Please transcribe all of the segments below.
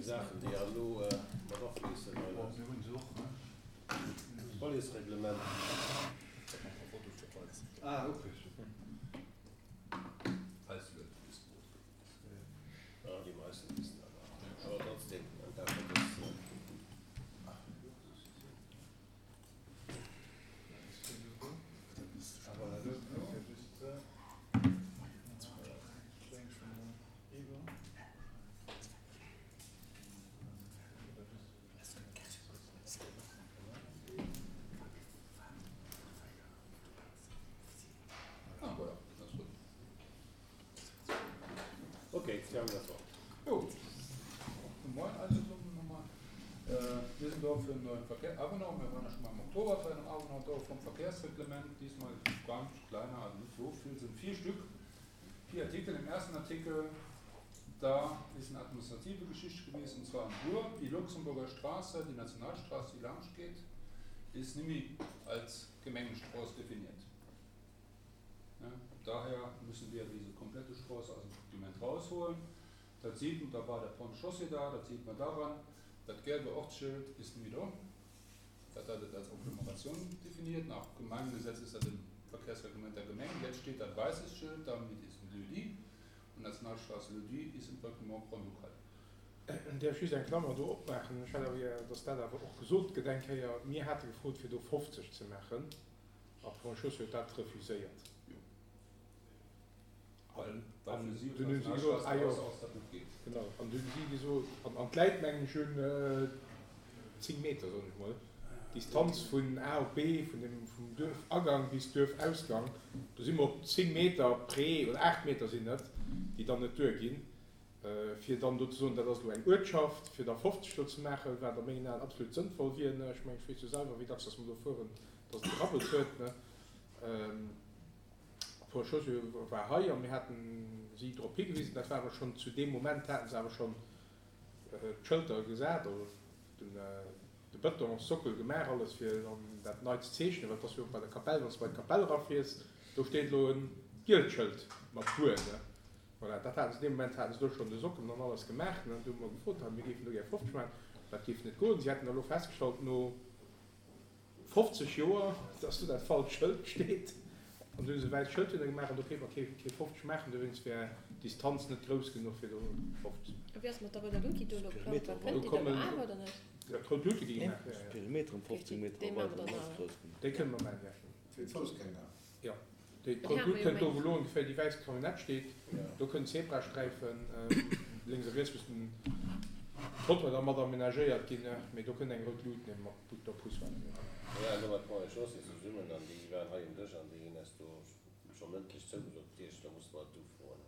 Saachen, déi elo mat afléissen an d'Policereglement. Ok, Sie haben das Wort. Jo, moin all zesummen nochmal. Mir sinn do fir en neuen Verkehr, Avenant, mir waren ja schon mal im Oktober für einen Avenant do vom Verkehrsreglement, diesmal ganz kleiner, also nicht so viel, sind vier Stück, vier Artikel. Im ersten Artikel, da ist eine administrative Geschichte gewesen, und zwar am Buer, die Luxemburger Straße, die Nationalstraße, die lang geht, ist nimmi als Gemengenstraße definiert. Ja, daher müssen wir diese komplette Straße aus dem Dokument rausholen. Dat sieht man, da war der Pont Chaussee da, dat sieht man daran, dat gelbe Ortsschild ist nimmi do. Dat hat et als Agglomeration definiert. Nach Gemeingesetz ist dat im Verkehrsreglement der Gemeng. Jetzt steht dat weißes Schild da mit diesem Lieu-dit und Nationalstraße Lieu-dit ist im Reglement grand-ducal. Däerf ech just eng Klammer do opmaachen? Ech hätt awer gär, dass dat awer och gesot gëtt eng Kéier. Mir hate gefrot, fir do 50 ze maachen, a Pont Chaussée huet dat refuséiert. Well An fir si dunn hu si gesot, ah jo, genau, an dunn hu si gesot, an an d'Läit mengen ech hunn 10 Meter, soen ech mol, d'Distanz vun A op B, vun dem, vum Duerfagang bis Duerfausgang, do si mer op 10 Meter près, oder 8 Meter sinn et, déi dann net duerginn, fir dann do ze soen, dat ass elo eng Uertschaft, fir da 50 do ze maachen, wat a mengen Aen absolut sënnvoll wier. Ech mengen, ech weess jo selwer, wéi dacks dass mer do fueren, dass et gerabbelt huet, ne. D'Frau Chaussy war hei a mir haten si drop higewisen. Dat war awer schonn, zu deem Moment haten se awer schonn d'Schëlter gesat, also de Bëtonssockel gemaach, alles fir dann dat nei ze zeechnen, well et ass jo och bei der Kapell, wann s de bei d'Kapell erafiers, do steet elo e gielt Schëld mat Buer, ne. Voilà, dat haten se, dee Moment haten se do schonn de Sockel an alles gemaach, ne. Du hu mer gefrot, mir géifen do gär 50 maachen, dat géif net goen. Si hätten da elo festgestallt no. 50 Joer, dass do dat falscht Schëld steet. An du hu se e wäisst Schëld hinne gemaach an do kéint mer kee 50 maachen, dowéinst wär d'Distanz net grouss genuch fir do 50 ze maachen. A wéi ass et mat der rouder Lut, déi do elo geplangt war? Kënnt déi dann awer oder net? D'rout Lut, déi gi gemaach, jo, jo. Perimeter ëm 15 Meter Déi maache mer dann awer. Déi kënne mer maachen, jo. Fir d'Foussgänger. Jo. Déi rout Lut kënnt do, wou elo ongeféier déi wäiss Camionnette steet. Do kënnen Zebrasträifen lénks a riets mussen Trottoir da mat amenagéiert ginn, mee do kënnt eng rout Lut mat der Poussoir. Mir waren do mat Ponts et Chaussées zesummen an déi waren hei um Dësch an déi hunn eis do scho mëndlech zougesot kriech, da musse mer et ufroen.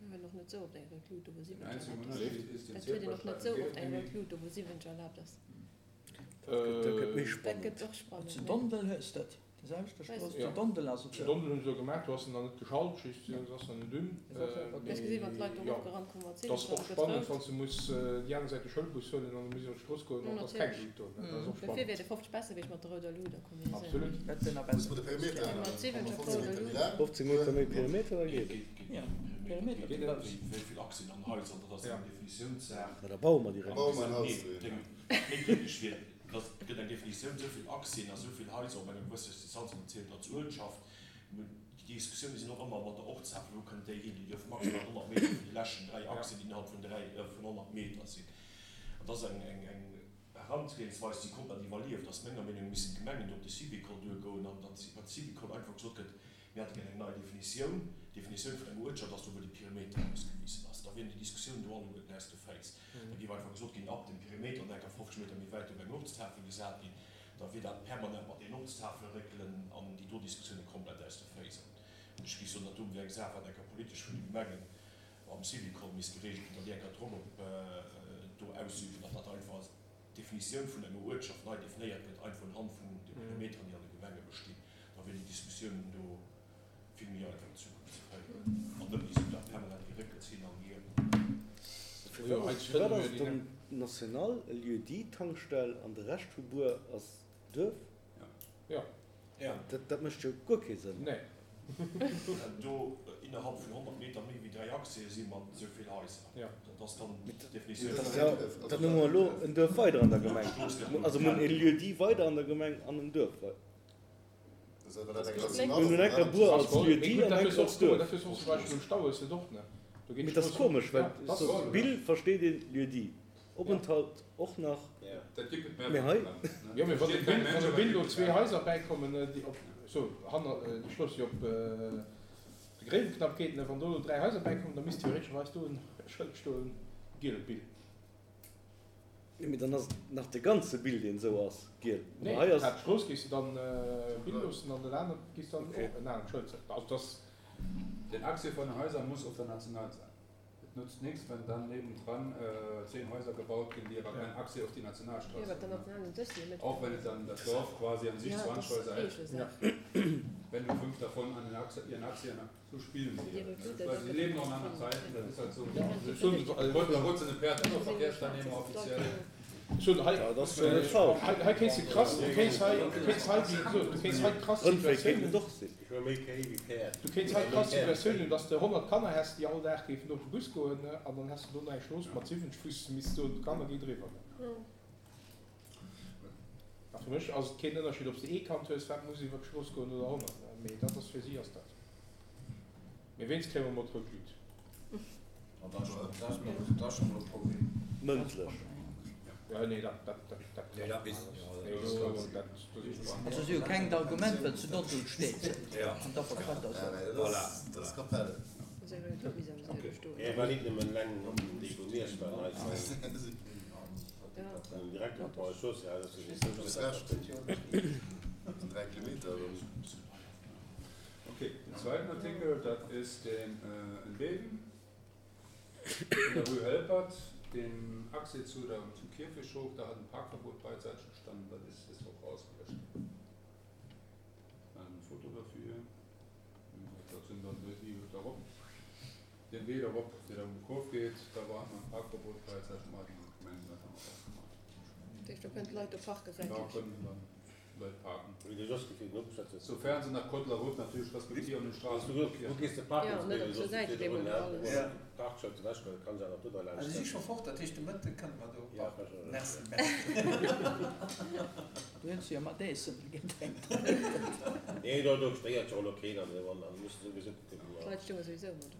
Mir hunn och net sou oft eng rout Lut do wou 70 erlaabt ass. Dat huet een och net sou oft eng rout Lut do wou 70 erlaabt ass. Dat gëtt méi Dat spannend. gëtt och spannend, Zu ne? Dondel hues dat. Déi selwechte Strooss zu Dondel ass et Zu jo. Dondel hunn se elo gemaach, do ass en nach net geschalt, just se ass nach net un. Hues gesinn, wann d'Leit do Mee jo, erofgerannt kommen mat et ass 70 och spannend, getraut. wann s de muss déi aner Säit de Schoulbus huelen an du muss iwwer d'Strooss goen an et ass keng Lut do. Dat ass och Dofir wier spannend. de 50 besser wéi ech mat der rouder Lut a kombinéieren. Absolut. Dat wier nach Muss besser. mer de Perimeter Mat änneren? 70 Wa mer op 15 rouder Meter méi Lut. laang 15 Meter méi Perimeter, da geet et. Jo, Perimeter Wéi ze grouss. vill Achsen an Haiser, dat ass eng Definitiounssaach. Ma da baue mer direkt. Baue mer en Haus dohinner. Méi kritesch wier, dass et gëtt eng Definitioun, esou vill Aktien a esou vill Haiser op enger gewësser Distanz an dat zielt als Uertschaft. Déi Diskussioune sinn och ëmmer mat der Ortstafel, wou kënnt déi hin? Déi duerf maximal 100 Meter vun de leschten 3 Aktien, déi innerhalb vun 3, vun 100 Meter sinn. An dat ass eng, eng, eng Herangehensweis, déi komplett iwwerlieft ass. Menger Meenung no missten d'Gemengen do op de Syvicol duergoen an datt iwwer Syvicol einfach gesot gëtt, Mir hätte gär eng nei Definitioun. D'Definitioun vun enger Uertschaft ass do, wou de Perimeter ausgewisen ass. Da wieren déi Diskussiounen do alleguerten aus de Féiss. Da géif einfach gesot ginn, ab dem Perimeter an enker 50 Meter méi wäit dierf eng Ortstafel gesat ginn. Da wier dat permanent mat deenen Ortstafele réckelen an déi do Diskussioune komplett aus de Féiss. An ech géif soen, dat do wier eng Saach, wat enker politesch vun de Gemengen am Syvicol misst geregelt ginn, datt déi enker Drock op do ausüben, datt dat einfach d'Definitioun vun enger Uertschaft nei definéiert gëtt, einfach unhand vun de Perimeteren, déi an de Gemenge bestinn, da wier déi Diskussioun do vill méi einfach an Zukunft ze féieren an net méi esou dat permanent Geréckels hin an hier. Firwat ass et dann national e Lieu-dit Tankstell an de Rescht vu Buer ass Duerf? Jo. Dat mécht jo guer kee Sënn. Nee. Do innerhalb vun 100 Meter méi wéi 3 Accèse si mat esou vill Haiser. Dat ass dann d'Definitioun. Dann hu mer elo en Duerf weider an der Gemeng. Also mir hunn e Lieu-dit weider an der Gemeng an en Duerf weider. Mir hunn enker Buer als Lieu-dit an enker als Duerf. Mee dat ass komesch, well Bill versteet een Lieu-dit, Openthalt och nach, mee hei. Jo, mee wann e Bill do zwee Haiser bäikommen, déi op, so, hanner, déi Strooss, déi op de Gréiweknapp geet, wann do 3 Haiser bäikommen, da misst theoretescherweis do e Schëld stoen, Giel Bill. Jo, mee dann ass et nach de ganze Bill, deen esou ass, giel. Nee, Hei ass. d'Haaptstrooss géifs de dann Bill loossen an den aneren géifs dann och en anert Schëld setzen. Also dass. Den Accès von den Häusern muss auf der National sein. Et nutzt nichts, wenn dann nebendran 10 Häuser gebaut ginn, déi awer kein Accès auf die Nationalstraße haben. Auch wenn et dann das Dorf quasi an sich 20 Häuser hätt, wenn nur 5 davon an den Accès, ihren Accès an so spielen sie halt. Weil sie leben noch in anderen Zeiten, das ist halt so. Kurz in de Pferd immer Verkehrsteilnehmer offiziell. Hei kéints de krass, du kéints hei, du kéints hei déi, so, du kéints hei d'krass Situatioun hunn, du kéints hei d'krass Situatioun hunn, dass de 100 Kanner häss, déi all Dag géifen do op de Bus goen, an dann häss de do nach eng Strooss mat 70, wou s de misst soen, d'Kanner gi driwwer. A fir mech ass et keen Ënnerscheed, ob s de ee Kand hues, wat muss iwwer d'Strooss goen, oder 100, mee dat ass, fir si ass dat. Mee wéinst kréie mer mol d'rout Luut. Dat ass scho mol e Problem. Mëndlech. Jo, nee, dat, dat, dat, dat Nee, dat weess ech. Nee, do, dat, do si ech Also si hu kengt Argument, well zu Dondel steet Ja. an da verkafft ass. Voilà. Dat ass Kapell. Hie war nit nëmmen eleng op déi wou mir waren hei den Direkter op der Chaussée, dat ass Du hues Recht. Dat sinn 3 Kilometer. Okay, den zweiten Artikel, dat ist den äh, in Beben, in der Rue Helpert, den Achse zu der, zum Kirchhof, da hat ein Parkverbot beidseitig gestanden, das ist, ist auch rausgelöscht. Ein Foto dafür. Das sind dann die darauf. Den Weg darauf, der da um die Kurve geht, da war immer ein Parkverbot beidseitig, mal die Gemeinde hat dann auch Da kënnen d'Leit do parken, Da säitlech. können dann Leit parken. Wéi de Jos gefillt den Opschätze. Sofern se nach Code de la Route natierlech respektieren und Straßen Wo gees de parken? Ja, net op zur Säit deemol alles. Parkschëld ewech, well et kann se awer do da Also si scho fort, dat heescht de Mëtte kënne mer do parken. Merci, merci. Du hues jo mat Eessen gedenkt. Nee, do do stéiert jo elo keen an an muss souwisou kucken. D'Leit stounge souwisou ëmmer do.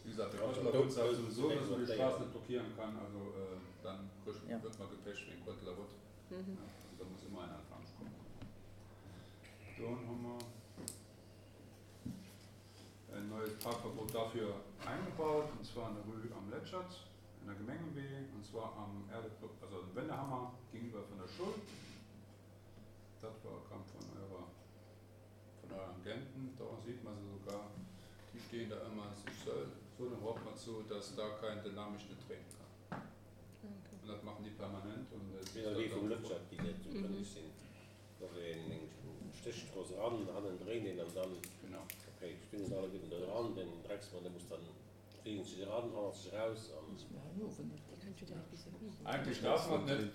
Wéi gesagt, de Code de la Route sagt sowieso, dass man die Straßen net blockieren kann, also dann wird man gepecht wegen Code de la Route. Also da muss immer einer dran kommen. Dann haben wir ein neues Parkverbot dafür eingebaut, und zwar an der Rue am Letschert, in der Gemengewee, und zwar am Erde, also am Wendehammer gegenüber von der Schule. Das war, kam von eurer, von euren Agenten, da sieht man sie sogar, die stehen da immer sich so, so eine Hoffnung zu, dass da kein Dynamisch nicht treten kann. Und dat maachen déi permanent. Und et Wéi der Wee vum Lëtschert déi net sou kënneg sinn, do ass een eng Stéchstrooss eran, hannen dréint een an dann, okay, stinn se alleguerten do dran, den Drecksmann dee muss dann fliegen sech eran, hannerzeg eraus an. Eigentlich darf man net,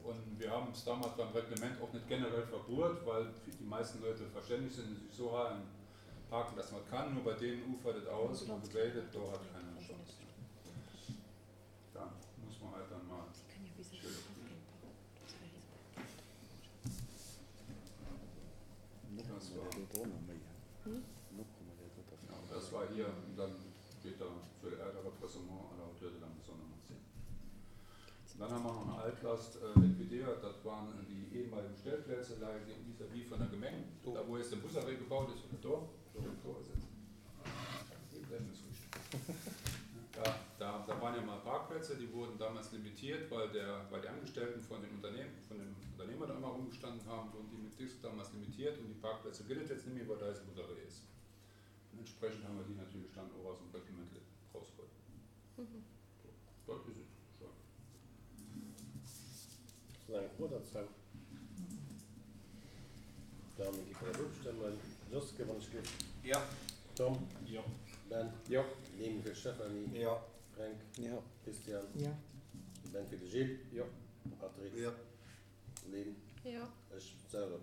und wir haben es damals beim Reglement auch nicht generell verbohrt, weil die meisten Leute verständlich sind und sich so halen parken, dass man kann, nur bei denen ufert et aus und geredet, do hat keiner eine Chance. Da muss man halt dann mal Das war, ja, das war hier und dann steht da für Ärgerrepressement à la hauteur de la Maison Nummer 10. Dann haben wir noch eine Altlast äh, liquidiert, das waren die ehemaligen Stellplätze vis-à-vis von der Gemeng, da wo jetzt der Busarrêt gebaut ist, oder da, da ist jetzt. Da, da, da waren ja mal Parkplätze, die wurden damals limitiert, weil, der, weil die Angestellten von den Unternehmen, von dem Unternehmer da immer rumgestanden haben, wurden die mit Disc damals limitiert und die Parkplätze gilt jetzt nicht mehr, weil da jetzt Busarrêt ist. Und entsprechend haben wir die natürlich dann auch aus dem Reglement rausgeholt. Mhm. So, das ist es schon. Ass nach eng Fro dozou? Dann gi mer dat ofstëmmen. Joske, wann ech giff. Jo. Tom. Jo. Ben. Jo. Lynn fir d'Stéphanie. Jo. Fränk. Jo. Christian. Jo. Ben fir de Gilles. Jo. Patrick. Jo. Lynn. Jo. Ech selwer.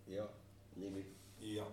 Jo. Nimi. Jo.